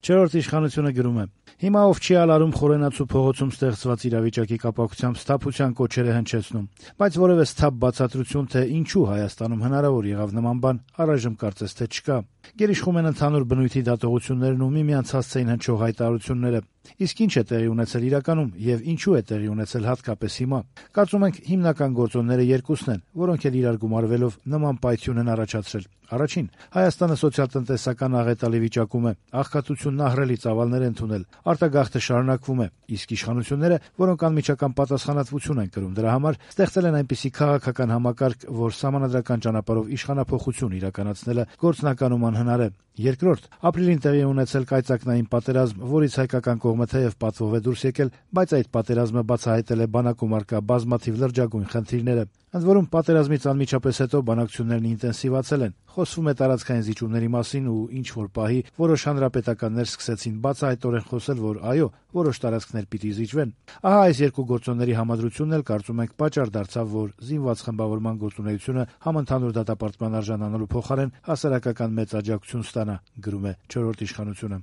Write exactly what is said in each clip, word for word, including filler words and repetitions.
Չորրորդ իշխանությունը գրում է. «Հիմա ով չի ալարում Խորենացու փողոցում ստեղծված իրավիճակի կապակցությամբ սթափության կոչեր է հնչեցնում, բայց որևէ սթափ բացատրություն, թե ինչու Հայաստանում հնարավոր եղավ նման բան, առայժմ կարծես թե չկա։ Գերիշխում են ընդհանուր բնույթի դատողություններն ու միմյանց հասցեին հնչող հայտարարությունները։ Իսկ ինչ է տեղի ունեցել իրականում եւ ինչու է տեղի ունեցել հատկապես հիմա։ Կարծում ենք հիմնական գործոնները երկուսն են, որոնք էլ իրար գումարվելով նման պայթյուն են առաջացրել։ Առաջին, Հայաստանը սոցիալ-տնտեսական աղետալի վիճակում է, աղքատությունն ահռելի ծավալներ է ընդունել, արտագաղթը շարունակվում է, իսկ իշխանությունները, որոնք անմիջական պատասխանատվություն են կրում դրա համար, ստեղծել են այնպիսի քաղաքական համակարգ, որ սահմանադրական ճանապարհով իշխանափոխություն իրականացնելը գործնականում անհնար է։ Երկրորդ, ապրիլին տեղի ունեցել կայծակնային պատերազմ, որից հայկական կողմը թեև պատվով է դուրս եկել, բայց այդ պատերազմը բացահայտել է բանակում առկա բազմաթիվ լրջագույն խնդիրները։ Ընդ որում, պատերազմից անմիջապես հետո բանակցություններն ինտենսիվացել են, խոսվում է տարածքային զիջումների մասին ու ինչ-որ պահի որոշ հանրապետականներ սկսեցին բացահայտորեն խոսել, որ այո, որոշ տարածքներ պիտի զիջվեն։ Ահա այս երկու գործոնների համադրությունն էլ կարծում ենք պատճառ դարձավ, որ զինված խմբավորման գործունեությունը համընդհանուր դատապարտման արժանանալու փոխարեն հասարակական մեծ աջակցություն ստանա, գրում է չորրորդ իշխանությունը։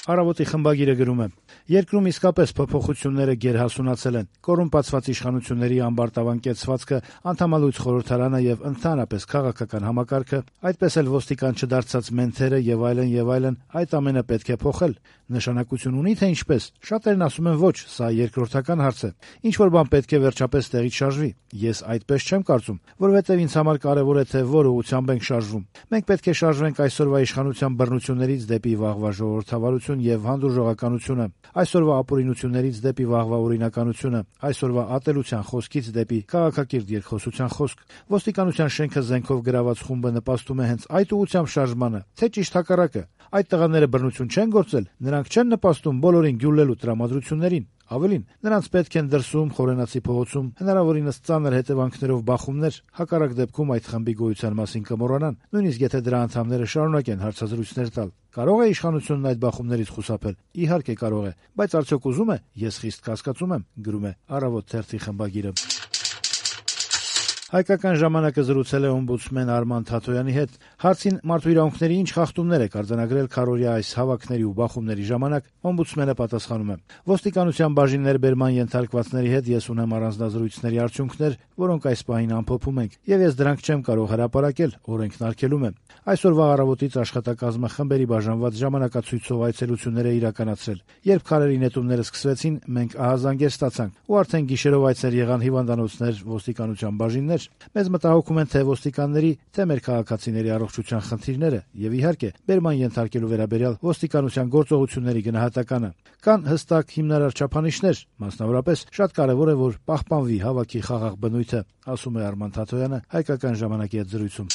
Առավոտի խմբագիրը գրում է. «Երկրում իսկապես փոփոխությունները գերհասունացել են։ Կոռումպացված իշխանությունների ամբարտավան կեցվածքը, անդամալույց խորհրդարանը եւ ընդհանրապես քաղաքական համակարգը, այդպես էլ ոստիկան չդարձած մենթերը եւ այլն եւ այլն, այդ ամենը պետք է փոխել։ Նշանակություն ունի թե ինչպես։ Շատերն ասում են ոչ, սա երկրորդական հարց է։ Ինչ որ բան պետք է վերջապես տեղից շարժվի։ Ես այդպես չեմ կարծում, որովհետեւ ինձ համար կարեւոր է թե որ ուղղությամբ ենք շարժվում։ Մենք պետք է շարժվենք այսօրվա իշխանության բռնություններից դեպի վաղվա ժողովրդավարություն եւ հանդուրժողականությունը, այսօրվա ապօրինություններից դեպի վաղվա օրինականությունը, այսօրվա ատելության խոսքից դեպի քաղաքակիրթ երկխոսության խոսք։ Ոստիկանության շենքը զենքով գրաված խումբը նպաստում է հենց այդ ուղղությամբ շարժմանը, թե ճիշտ հակառակը։ Այդ տղաները բռնություն չեն գործել, նրանք չեն նպաստում բոլորին գյուլելու տրամադրություններին։ Ավելին, նրանց պետք են դրսում, Խորենացի փողոցում, հնարավորինս ծանր հետևանքներով բախումներ, հակառակ դեպքում այդ խմբի գոյության մասին կմոռանան, նույնիսկ եթե դրա անդամները շարունակեն հարցազրույցներ տալ։ Կարող է իշխանությունն այդ բախումներից խուսափել։ Իհարկե կարող է, բայց արդյոք ուզում է։ Ես խիստ կասկածում եմ, գրում է Առավոտ թերթի խմբագիրը։ Հայկական ժամանակը զրուցել է օմբուդսմեն Արման Թաթոյանի հետ։ Հարցին մարդու իրավունքների ինչ խախտումներ է կարձանագրել քարորիա այս հավաքների ու բախումների ժամանակ, օմբուդսմենը պատասխանում է. «Ոստիկանության բաժին ներբերման ենթարկվածների հետ ես ունեմ առանձնազրույցների արդյունքներ, որոնք այս պահին ամփոփում ենք, եւ ես դրանք չեմ կարող հրապարակել, օրենքն արգելում է։ Այսօրվա առավոտից աշխատակազմը խմբերի բաժանված ժամանակացույցով այցելություններ է իրականացրել։ Երբ քարերի նետումները սկսվեցին, մենք ահազանգեր ստացանք, ու արդեն գիշերով այցեր եղան հիվանդանոցներ, ոստիկանության բաժիններ։ Մեզ մտահոգում են թե ոստիկանների, թե մեր քաղաքացիների առողջության խնդիրները եւ իհարկե բերման ենթարկելու վերաբերյալ ոստիկանության գործողությունների գնահատականը։ Կան հստակ հիմնարար չափանիշներ, մասնավորապես շատ կարեւոր է, որ պահպանվի հավաքի խաղաղ բնույթը», ասում է Արման Թաթոյանը Հայկական ժամանակի հետ զրույցում։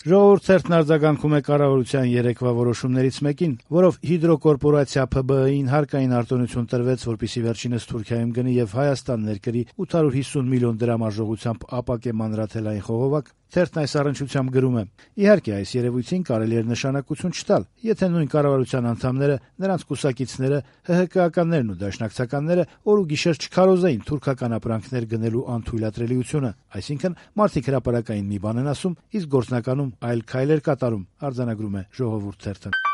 Ժողովուրդ թերթն արձագանքում է կառավարության երեկվա որոշումներից մեկին, որով հիդրոկորպորացիա Փ B Ը-ին հարկային արտոնություն տրվեց, որպեսզի վերջինս Թուրքիայում գնի եւ Հայաստան ներկրի ութ հարյուր հիսուն միլիոն դրամ արժողությամբ ապակե մանրաթելային խողովակ։ Թերթն այս առնչությամբ գրում է. «Իհարկե, այս երևույթին կարելի էր նշանակություն չտալ, եթե նույն կառավարության անդամները, նրանց կուսակիցները, Հ Հ Կ-ականներն ու դաշնակցականները օր ու գիշեր չքարոզեին թուրքական ապրանքներ գնելու անթույլատրելիությունը, այսինքն մարդիկ հրապարակային մի բան են ասում, իսկ գործնականում այլ քայլեր կատարում», արձանագրում է Ժողովուրդ թերթը։